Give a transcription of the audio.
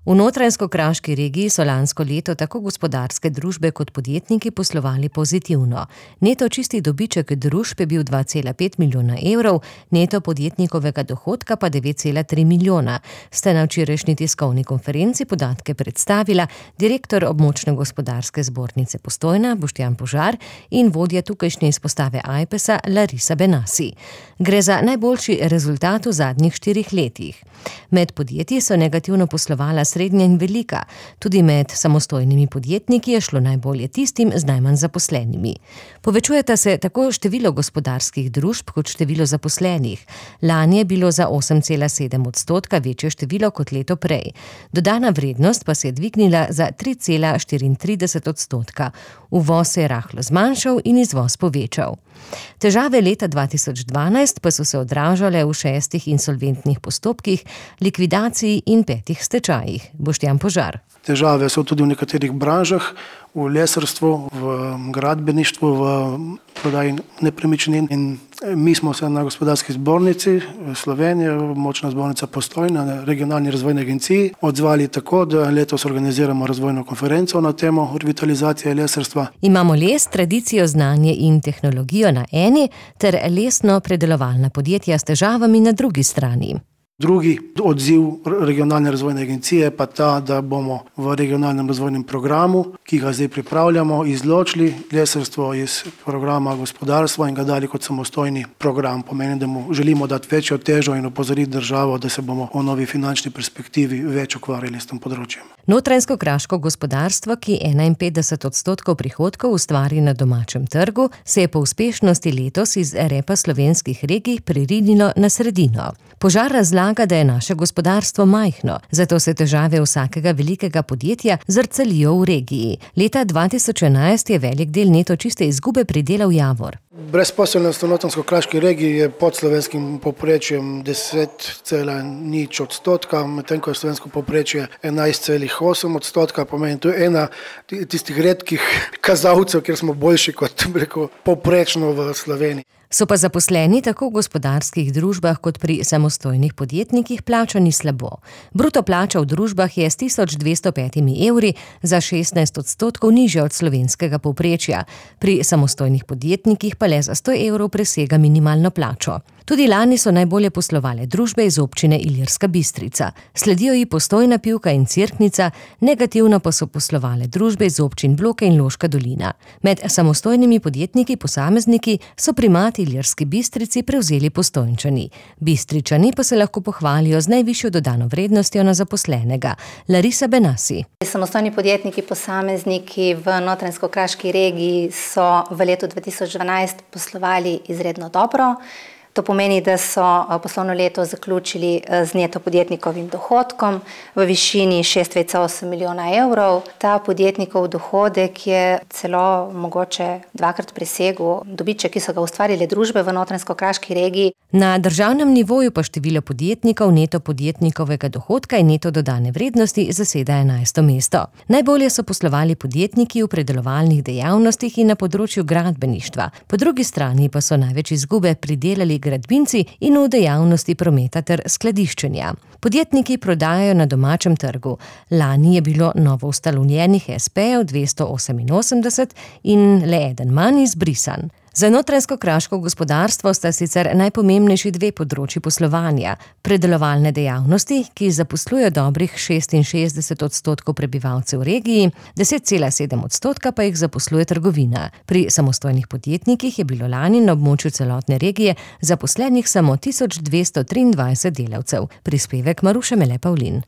V Notranjsko-Kraški regiji so lansko leto tako gospodarske družbe kot podjetniki poslovali pozitivno. Neto čisti dobiček družb je bil 2,5 milijona evrov, neto podjetnikovega dohodka pa 9,3 milijona. Sta na včerajšnji tiskovni konferenci podatke predstavila direktor območne gospodarske zbornice Postojna Boštjan Požar in vodja tukajšnje izpostave Ajpesa Larisa Benassi. Gre za najboljši rezultat v zadnjih 4 letih. Med podjetji so negativno poslovala srednja in velika. Tudi med samostojnimi podjetniki je šlo najbolje tistim z najmanj zaposlenimi. Povečujeta se tako število gospodarskih družb kot število zaposlenih. Lani je bilo za 8,7% večje število kot leto prej. Dodana vrednost pa se je dvignila za 3,34%. Uvoz se je rahlo zmanjšal in izvoz povečal. Težave leta 2012 pa so se odražale v 6 insolventnih postopkih, likvidaciji in 5 stečajih. Boštjan Požar. Težave so tudi v nekaterih branžah, v lesarstvu, v gradbeništvu, v prodaji nepremičnin. In mi smo se na gospodarski zbornici Slovenije, območna zbornica Postojna, na regionalni razvojni agenciji odzvali tako, da letos organiziramo razvojno konferenco na temo revitalizacije lesarstva. Imamo les, tradicijo, znanje in tehnologijo na eni ter lesno predelovalna podjetja s težavami na drugi strani. Drugi odziv regionalne razvojne agencije pa ta, da bomo v regionalnem razvojnem programu, ki ga zdaj pripravljamo, izločili lesarstvo iz programa gospodarstva in ga dali kot samostojni program. Pomeni, da mu želimo dati večjo težo in opozoriti državo, da se bomo v novi finančni perspektivi več ukvarjali s tem področjem. Notranjsko-kraško gospodarstvo, ki 51% prihodkov ustvari na domačem trgu, se je po uspešnosti letos iz repa slovenskih regij pririnilo na sredino. Požar razlaga, da je naše gospodarstvo majhno, zato se težave vsakega velikega podjetja zrcalijo v regiji. Leta 2011 je velik del neto čiste izgube pridelal Javor. Brezposelnost v Notranjsko-kraški regiji je pod slovenskim povprečjem 10,0%, medtem ko je slovensko povprečje 11,8%. Pomeni, to je ena tistih redkih kazalcev, kjer smo boljši kot povprečno v Sloveniji. So pa zaposleni tako v gospodarskih družbah kot pri samostojnih podjetnikih plačani slabo. Bruto plača v družbah je s 1205 evri za 16% nižja od slovenskega povprečja. Pri samostojnih podjetnikih pa le za 100 evrov presega minimalno plačo. Tudi lani so najbolje poslovale družbe iz občine Ilirska Bistrica. Sledijo ji Postojna, Pivka in Cerknica, negativno pa so poslovale družbe iz občin Bloke in Loška dolina. Med samostojnimi podjetniki posamezniki so primat Ilirski Bistrici prevzeli Postojnčani. Bistričani pa se lahko pohvalijo z najvišjo dodano vrednostjo na zaposlenega. Larisa Benassi. Samostojni podjetniki posamezniki v Notranjsko-kraški regiji so v letu 2012 poslovali izredno dobro. To pomeni, da so poslovno leto zaključili z neto podjetnikovim dohodkom v višini 6,8 milijona evrov. Ta podjetnikov dohodek je celo mogoče 2-krat presegel dobiček, ki so ga ustvarile družbe v Notranjsko-kraški regiji. Na državnem nivoju pa število podjetnikov, neto podjetnikovega dohodka in neto dodane vrednosti zaseda 11. mesto. Najbolje so poslovali podjetniki v predelovalnih dejavnostih in na področju gradbeništva. Po drugi strani pa so največ izgube pridelali gradbinci in v dejavnosti prometa ter skladiščenja. Podjetniki prodajajo na domačem trgu. Lani je bilo novo ustanovljenih espejev 288 in le eden manj izbrisan. Za notranjsko-kraško gospodarstvo sta sicer najpomembnejši 2 področji poslovanja. Predelovalne dejavnosti, ki zaposlujejo dobrih 66% prebivalcev v regiji, 10,7% pa jih zaposluje trgovina. Pri samostojnih podjetnikih je bilo lani na območju celotne regije zaposlenih samo 1223 delavcev. Prispevek Maruše Mele Pavlin.